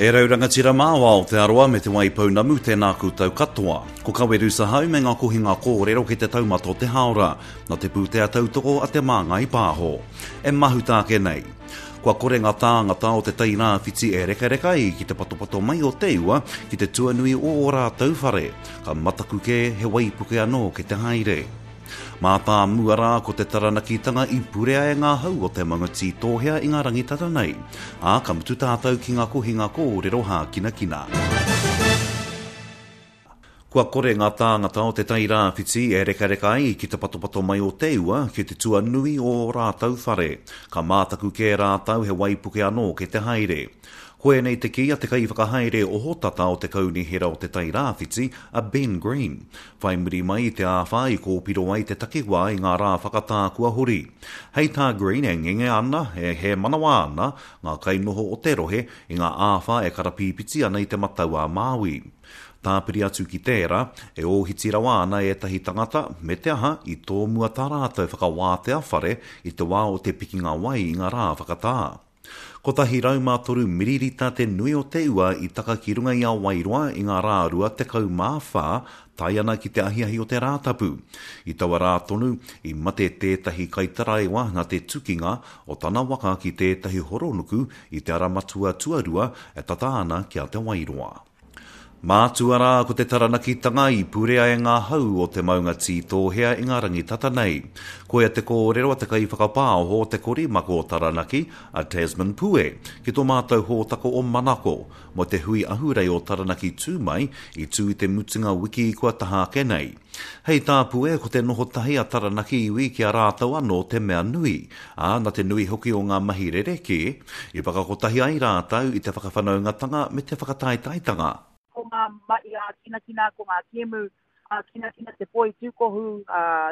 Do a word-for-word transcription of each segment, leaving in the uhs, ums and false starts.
E rau rangatira mā o Aotearoa me Te Waipounamu, tēnā koutou katoa. Ko Kaweru Sahau me ngā kohinga kōrero ki te taumata o te hāora, nā te pūtea tautoko a Te Māngai Pāho. E mahuta ake nei. Kua kore ngā tāngata o te Tai Rāwhiti e rekareka ai ki te patopato mai o te ua ki te tuanui o ō rātou whare, ka mataku kē he waipuke anō ki te haere. Mātāmua rā ko te Taranakitanga i purea e ngā hau o te maunga Tītōhea i ngā rangi tata nei, ā, ka mutu tātou ki ngā kohinga kōrero hākinakina. Kua kore ngā tāngata o te Tai Rāwhiti e rekareka ai ki te patopato mai o te ua ki te tuanui o ō rātou whare, ka mātaku kē rātou he waipuke anō ki te haere. Koinei te kī a te kaiwhakahaere ohotata o te Kaunihera o Te Tai Rāwhiti, a Ben Green, whai muri mai i te āwhā i kōpiro ai te takiwā i ngā rā whakatā kua hori. Hei tā Green e ngenge ana, e hēmanawa ana ngā kainoho o te rohe i ngā āwhā e karapīpiti ana i Te Matau-a-Māui. Tāpiri atu ki tērā, e ōhiti rawa ana ētahi tangata, me te aha, i tōmua tā rātou whakawātea whare i te wā o te pikinga wai i ngā rā whakatā. Kotahi rau mā toru miririta te nui o te ua i taka ki runga i a Wairoa i ngā rā rua tekau mā whā, tae ana ki te ahiahi o te Rātapu. I taua rā tonu, i mate tētahi kaitaraiwa nā te tukinga o tana waka ki tētahi horonuku i te ara matua tuarua e tata ana ki a Te Wairoa. Mātua rā ko te Taranakitanga i purea e ngā hau o te maunga Tītōhea i ngā rangi tata nei. Koia te kōrero a te kaiwhakapaoho o te korimako o Taranaki, a Tasman Pue, ki tō mātou hōtaka o Manako, mō te hui ahurei o Taranaki Tū Mai i tū i te mutunga wiki kua taha ake nei. Hei tā Pue, ko te noho tahi a Taranaki iwi ki a rātou anō te mea nui, ā, nā te nui hoki o ngā mahi rerekē, i whakakotahi ai rātou i te whakawhanaungatanga me te whakataetaetanga. Ko ngā mahi ā-kinakina, ko ngā kēmu ā-kinakina, te poi tūkohu,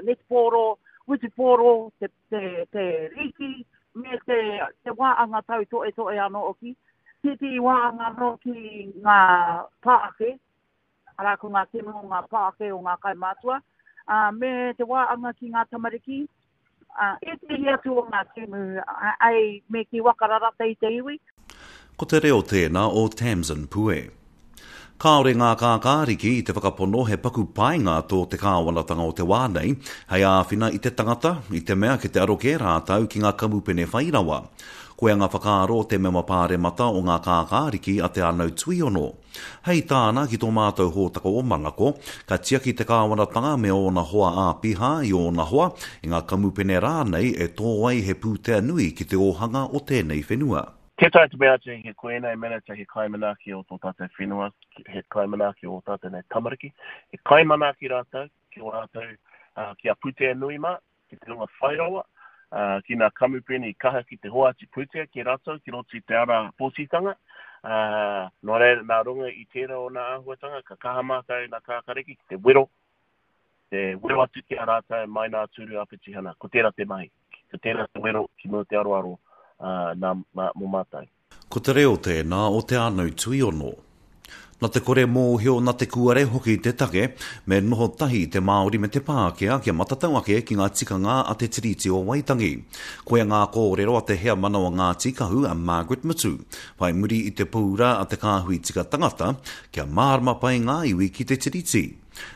netipōro, wutupōro, te, te, te rīki, me te, te wāanga tautoetoe anō hoki. Tētehi wāanga anō ki ngā pāake, arā ko ngā kēmu o ngā pāake o ngā kaumātua, ā, me te wāanga ki ngā tamariki, ā, ētehi atu o ngā kēmu, ai, me kī waka rarata i te iwi. Ko te reo tēnā o Tamsin Pue. Kāore ngā kākāriki i te whakapono he paku painga tō te kāwanatanga o te wā nei hei āwhina i te tangata, i te mea kei te aro kē rātou ki ngā kamupene whai rawa. Koia ngā whakaaro o te mema pāremata o ngā kākāriki a Te Anau Tuiono. Hei tāna ki tō mātou hōtaka o Manako, ka tiaki te kāwanatanga me ōna hoa āpiha i ōna hoa, i ngā kamupene rānei e tō ai he pūtea nui ki te ōhanga o tēnei whenua. Tē taea te mea atu he ko ēnei minita he kaimanaaki o tō tātou whenua, he kaimanaaki o ō tātou nei tamariki, he kaimanaaki rātou ki ō rātou, ki a Pūtea Nui mā, ki te hunga whai rawa, ki ngā kamupene i kaha ki te hoatu pūtea ki rātou ki roto i te ara pōtitanga. Nō reira, nā runga i tērā o ngā āhuatanga, ka kaha mātou nā Kākariki ki te wero, te wero atu ki a rātou mai nā tūru ā-petihana. Ko tērā te mahi, ko tērā te wero ki mua te aroaro nā, mō mātou. Ko te reo tēnā o Te Anau Tuiono. Na te kore mōhio, na te kuare hoki te take, me noho tahi te Māori me te Pākehā kia matatau ake ki ngā tikanga a te Tiriti o Waitangi. Koia ngā kōrero a te heamana o Ngāti Kahu a Margaret Mutu, whai muri i te pōura a te Kāhui Tika Tangata, kia mārama pai ngā iwi ki te Tiriti.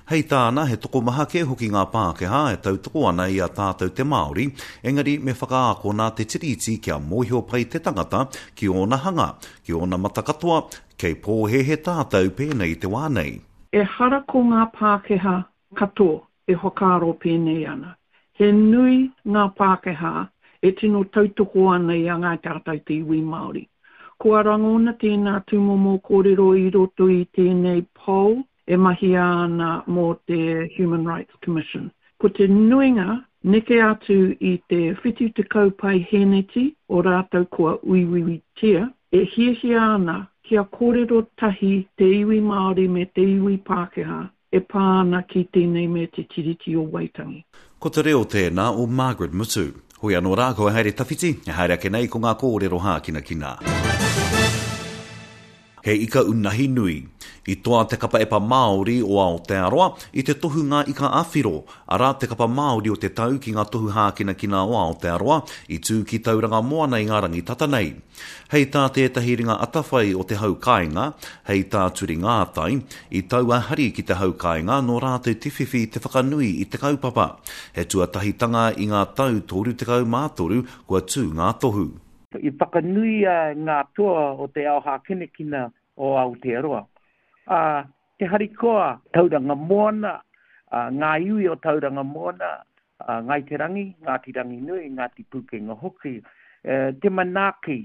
Hei tāna, he tokomaha kē hoki ngā Pākehā e tautoko ana i a tātou te Māori, engari me whakaakona te Tiriti kia mōhio pai te tangata ki ōna hanga, ki ōna mata katoa, kei pōhēhē tātou pēnei i te wā nei. Ehara ko ngā Pākehā katoa e whakaaro pēnei ana. He nui ngā Pākehā e tino tautoko ana i a Ngāi Tātou te iwi Māori. Kua rangona tēnā tūmomo kōrero i roto i tēnei poll e mahia ana mō te Human Rights Commission. Ko te nuinga, neke atu i te whitu tekau paihēneti o rātou kua uiuitia, e hiahia ana kia kōrero tahi te iwi Māori me te iwi Pākehā e pā ana ki tēnei me Te Tiriti o Waitangi. Ko te reo tēnā o Margaret Mutu. Hoi anō rā, kua haere tawhiti, e haere ake nei ko ngā kōrero hākinakina. He ika unahi nui. I toa te kapa epa Māori o Aotearoa i te tohu Ngā Ika a Whiro, arā te kapa Māori o te tau ki ngā tohu hākinakina o Aotearoa i tū ki Tauranga Moana i ngā rangi tata nei. Hei tā tētahi ringa atawhai o te hau kāinga, hei tā Turi Ngātai, i tau a hari ki te hau kāinga nō rātou te whiwhi te whakanui i te kaupapa. He tuatahitanga i ngā tau toru tekau mā toru kua tū ngā tohu. I whakanuia ngā toa o te ao hākinakina o Aotearoa. Uh, te harikoa Tauranga Moana, uh, ngā iwi o Tauranga Moana, uh, Ngāi Te Rangi, Ngāti Ranginui, Ngāti Pūkenga hoki, uh, te manaaki,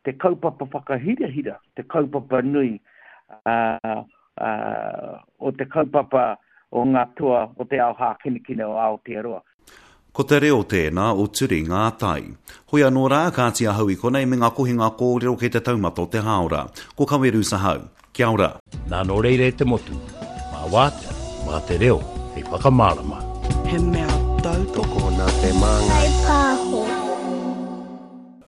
te kaupapa whakahirahira, te kaupapa nui uh, uh, o te kaupapa o ngā toa o te ao hākinakina o Aotearoa. Ko te reo tēnā o Turi Ngātai. Hoi anō rā, kāti ahau i konei me ngā kohinga kōrero kei te taumata o te hāora. Ko Kaweru Sahau. Kia ora. Nā nō reira e te motu, mā wātea, mā te reo, hei whakamārama. He mea